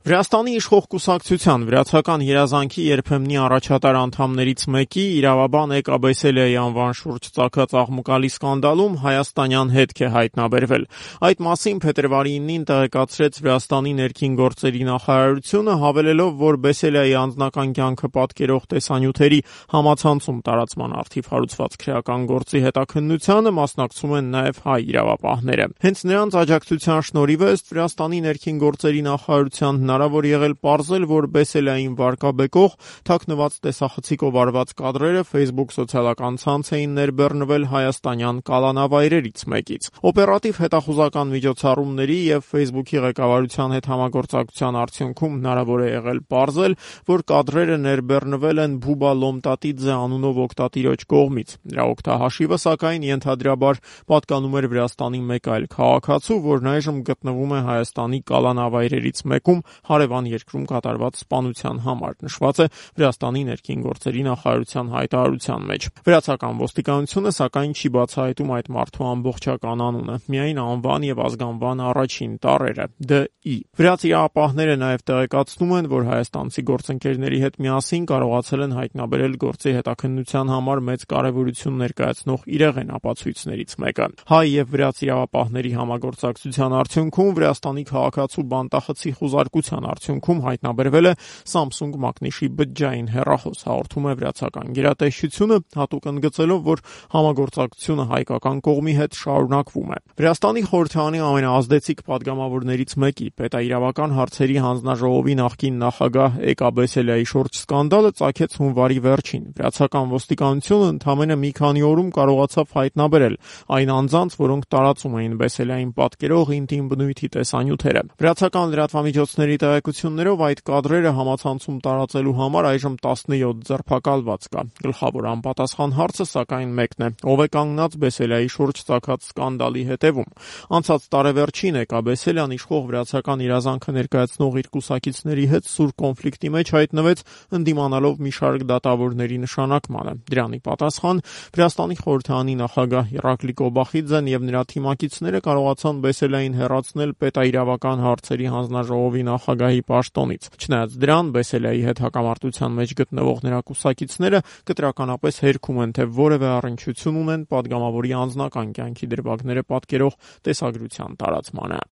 Վրաստանի իշխող կուսակցության վրացական երազանքի երբեմնի առաջատար անդամներից մեկի իրավաբան Էկա Բեսելիայի անվան շուրջ ծագած աղմուկալի սկանդալում հայաստանյան հետք է հայտնաբերվել։ Այդ մասին փետրվարի 9-ին տեղեկացրեց Վրաստանի ներքին գործերի նախարարությունը, հավելելով, որ Բեսելիայի անձնական կյանքը պատկերող տեսանյութերի համացանցում տարածման առթիվ հարուցված քրեական գործի հետաքննությանը մասնակցում են նաև հայ իրավապահները։ Հենց նրանց աջակցության շնորհիվ է Վրաստանի ներքին գործերի նախարարության հնարավոր եղել պարզել, որ Բեսելիային վարկաբեկող թաքնված տեսախցիկով արված կադրերը Facebook սոցիալական ցանց էին ներբեռնվել հայաստանյան կալանավայրերից մեկից։ Օպերատիվ հետախուզական միջոցառումների եւ Facebook-ի ղեկավարության հետ համագործակցության արդյունքում հնարավոր է եղել պարզել, որ կադրերը ներբեռնվել են Բուբա Լոմտատիձե անունով օգտատիրոջ կողմից։ Նրա օգտահաշիվը, սակայն, ենթադրաբար պատկանում էր Վրաստանի մեկ այլ քաղաքացու, որն այժմ գտնվում է Հայաստանի կալանավայրերից մեկում հարևան երկրում կատարված սպանության համար, նշված է Վրաստանի ներքին գործերի նախարարության հայտարարության մեջ։ Վրացական ոստիկանությունը, սակայն, չի բացահայտում այդ մարդու ամբողջական անունը, միայն անվան եւ ազգանվան առաջին տառերը՝ D.I. Վրաց իրավապահները նաև տեղեկացնում են, որ հայաստանցի գործընկերների հետ միասին կարողացել են հայտնաբերել գործի հետաքննության համար մեծ կարևորություն ներկայացնող իրեղեն ապացույցներից մեկը։ Հայ եւ վրաց իրավապահների համագործակցության արդյունքում Վրաստանի քաղաքացու բանտախցի խուզարկության արդյունքում հայտնաբերվել է Samsung մակնիշի բջջային հեռախոս, հաղորդում է վրացական գերատեսչությունը, հատուկ ընդգծելով, որ համագործակցությունը հայկական կողմի հետ շարունակվում է։ Վրաստանի խորհրդարանի ամենաազդեցիկ падգամավորներից մեկի պետաիրավական հարցերի հանձնաժողովի նախկին նախագահ Էկա Բեսելիայի շուրջ սկանդալը ծագեց հունվարի վերջին։ Վրացական ոստիկանությունը ընդամենը մի քանի օրում կարողացավ հայտնաբերել այն անձանց, որոնք տարածում էին Բեսելիային պատկերող ինտիմ բնույթի տեսանյութերը։ Վրացական լրատվամիջոցների տեղեկություններով այդ կադրերը համացանցում տարածելու համար այժմ 17 ձերբակալված կա։ Գլխավոր անպատասխան հարցը, սակայն, մեկն է. ով է կանգնած Բեսելիայի շուրջ ծագած սկանդալի հետևում։ Անցած տարեվերջին Էկա Բեսելիան իշխող վրացական իրազանքը ներկայացնող իր կուսակիցների հետ սուր կոնֆլիկտի մեջ հայտնվեց, ընդդիմանալով մի շարք դատավորների նշանակմանը։ Դրանի պատասխան Վրաստանի խորհրդարանի նախագահ Իռակլի Կոբախիձեն եւ նրա թիմակիցները կարողացան Բեսելիային հեռացնել պետաիրավական հարցերի հանձնաժողովի նախագահի պաշտոնից։ Չնայած դրան, Բեսելիայի հետ հակամարտության մեջ գտնվող նրա կուսակիցները կտրականապես հերքում են, թե որևէ առնչություն ունեն падգամավորի անձնական կյանքի դրվագները պատկերող տեսագրության տարածմանը։